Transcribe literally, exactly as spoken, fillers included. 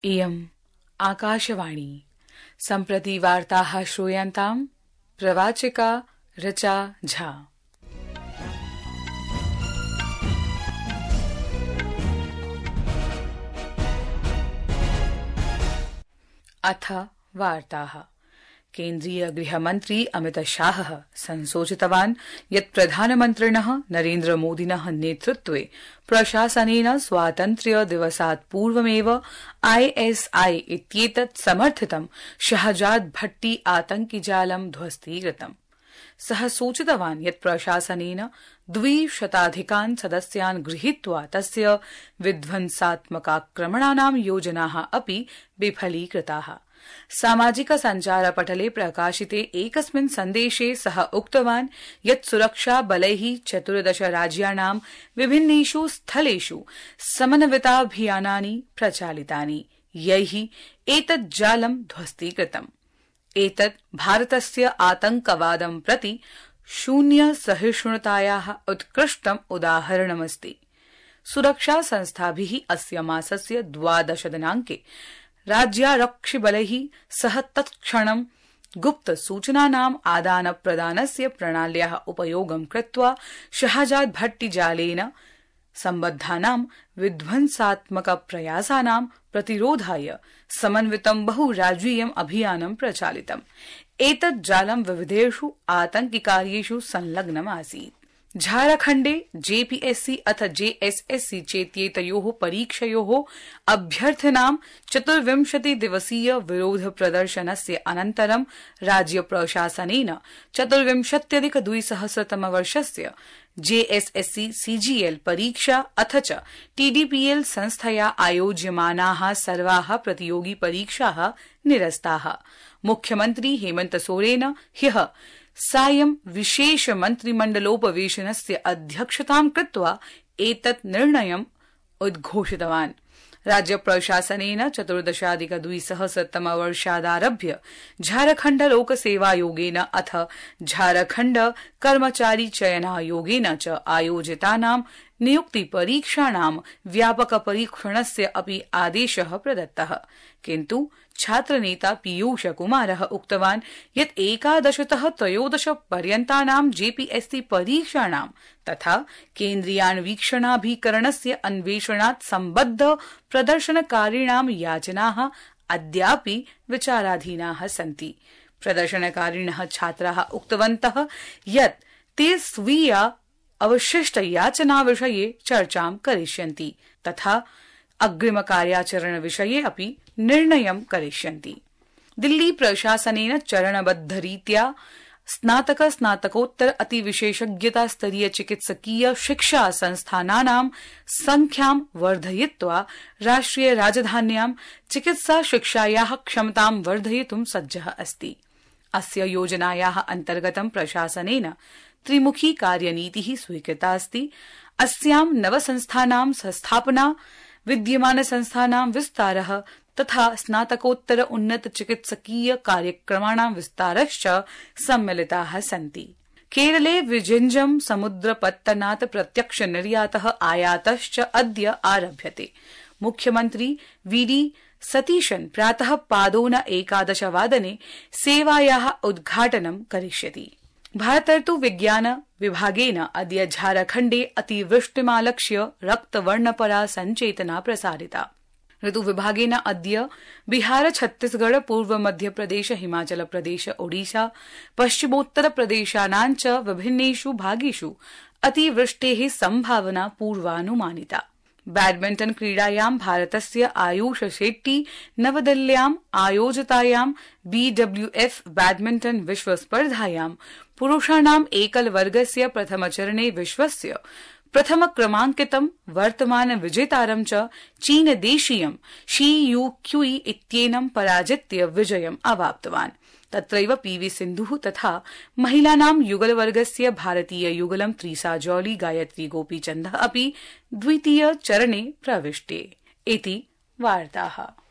इयम् आकाशवाणी सम्प्रति वार्ताः श्रूयन्ताम् प्रवाचिका ऋचा झा। अथ वार्ताः। केन्द्रीय गृहमन्त्री अमित शाहः संसूचितवान् यत् प्रधानमन्त्रिणः नरेन्द्र मोदिनः नेतृत्वे प्रशासनेन स्वातन्त्र्य दिवसात् पूर्वमेव आईएसआई इत्येतत् समर्थितं शहजाद भट्टी आतंकिजालं ध्वस्तीकृतम्। सः सूचितवान् यत् प्रशासनेन द्विशताधिकान् सदस्यान् गृहीत्वा तस्य विध्वंसात्मकाक्रमणानां योजनाः अपि विफलीकृताः। सामाजिक सञ्चारपटले प्रकाशिते एकस्मिन् सन्देशे सः उक्तवान् यत् सुरक्षा बलैः चतुर्दश राज्याणां विभिन्नेषु स्थलेषु समन्विताभियानानि प्रचालितानि, यैः एतत् जालं ध्वस्तीकृतम्। एतत् भारतस्य आतंकवादं प्रति शून्य सहिष्णुतायाः उत्कृष्टम् उदाहरणमस्ति। सुरक्षा संस्थाभिः अस्य मासस्य द्वादश दिनाङ्के राज्यारक्षिबलैः सह तत्क्षणं गुप्त सूचनानाम् आदान प्रदानस्य प्रणाल्याः उपयोगं कृत्वा शहजाद भट्टी जालेन सम्बद्धानां विध्वंसात्मक प्रयासानां प्रतिरोधाय समन्वितं बहुराज्यीयम् अभियानं प्रचालितम्। एतत् जालं विविधेषु आतंकिकार्येषु संलग्नम् आसीत्। झारखण्डे जेपीएससी अथ जेएसएससी चेत्येतयोः परीक्षयोः अभ्यर्थिनां चतुर्विंशति दिवसीय विरोध प्रदर्शनस्य अनन्तरं राज्य प्रशासनेन चतुर्विंशत्यधिक द्विसहस्रतम वर्षस्य जेएसएससी सीजीएल परीक्षा अथ च टीडीपीएल संस्थया आयोज्यमानाः सर्वाः प्रतियोगी परीक्षाः निरस्ताः। मुख्यमन्त्री हेमन्त सोरेन ह्यः सायं विशेष मन्त्रिमण्डलोपवेशनस्य अध्यक्षतां कृत्वा एतत् निर्णयम् उद्घोषितवान्। राज्य प्रशासनेन चतुर्दशाधिक द्विसहस्रतम वर्षादारभ्य झारखण्ड लोकसेवायोगेन अथ झारखण्ड कर्मचारी चयनायोगेन च आयोजितानां नियुक्ति परीक्षाणां व्यापक परीक्षणस्य अपि आदेशः प्रदत्तः। किन्तु छात्रनेता पीयूष कुमारः उक्तवान् यत् एकादशतः त्रयोदश पर्यन्तानां जेपीएससी परीक्षाणां तथा केन्द्रीयान्वीक्षणाभिकरणस्य अन्वेषणात् सम्बद्ध प्रदर्शनकारिणां याचनाः अद्यापि विचाराधीनाः सन्ति। प्रदर्शनकारिणः छात्राः उक्तवन्तः यत् ते स्वीया अवशिष्ट याचना विषये चर्चां करिष्यन्ति तथा अग्रिम कार्याचरण विषये अपि निर्णयं करिष्यन्ति। दिल्ली प्रशासनेन चरणबद्धरीत्या स्नातक स्नातकोत्तर अतिविशेषज्ञता स्तरीय चिकित्सकीय शिक्षा संस्थानानां संख्यां वर्धयित्वा राष्ट्रिय राजधान्यां चिकित्सा शिक्षायाः क्षमतां वर्धयितुं सज्जः अस्ति। अस्य योजनायाः अन्तर्गतं प्रशासनेन त्रिमुखी कार्यनीतिः स्वीकृता अस्ति। अस्यां नवसंस्थानां संस्थापना, विद्यमान संस्थानां विस्तारः तथा स्नातकोत्तर उन्नत चिकित्सकीय कार्यक्रमाणां विस्तारश्च सम्मिलिताः सन्ति। केरले विजिञ्जम समुद्रपत्तनात् प्रत्यक्ष निर्यातः आयातश्च अद्य आरभ्यते। मुख्यमन्त्री वीडी सतीशन् प्रातः पादोन एकादश वादने सेवायाः उद्घाटनं करिष्यति। भारतर्तु विज्ञान विभागेन अद्य झारखण्डे अतिवृष्टिमालक्ष्य रक्तवर्णपरा सञ्चेतना प्रसारिता। ऋतुविभागेन अद्य बिहार, छत्तीसगढ़, पूर्व मध्यप्रदेश, हिमाचल प्रदेश, ओडिशा, पश्चिमोत्तर प्रदेशानां च विभिन्नेषु भागेषु अतिवृष्टेः संभावना पूर्वानुमानिता। बैडमिण्टन क्रीडायां भारतस्य आयुष शेट्टी नवदिल्ल्याम् आयोजितायां बीडब्ल्यूएफ बैडमिण्टन विश्वस्पर्धायां पुरुषाणाम् एकल वर्गस्य प्रथमचरणे विश्वस्य प्रथम क्रमाङ्कितं वर्तमान विजेतारं च चीनदेशीयं शी यू क्यूई इत्येनं पराजित्य विजयम् अवाप्तवान्। तत्रैव पीवी सिन्धुः तथा महिलानां युगलवर्गस्य भारतीय युगलं त्रीसा जौली गायत्री गोपीचन्दः अपि द्वितीय चरणे प्रविष्टे। इति वार्ताः।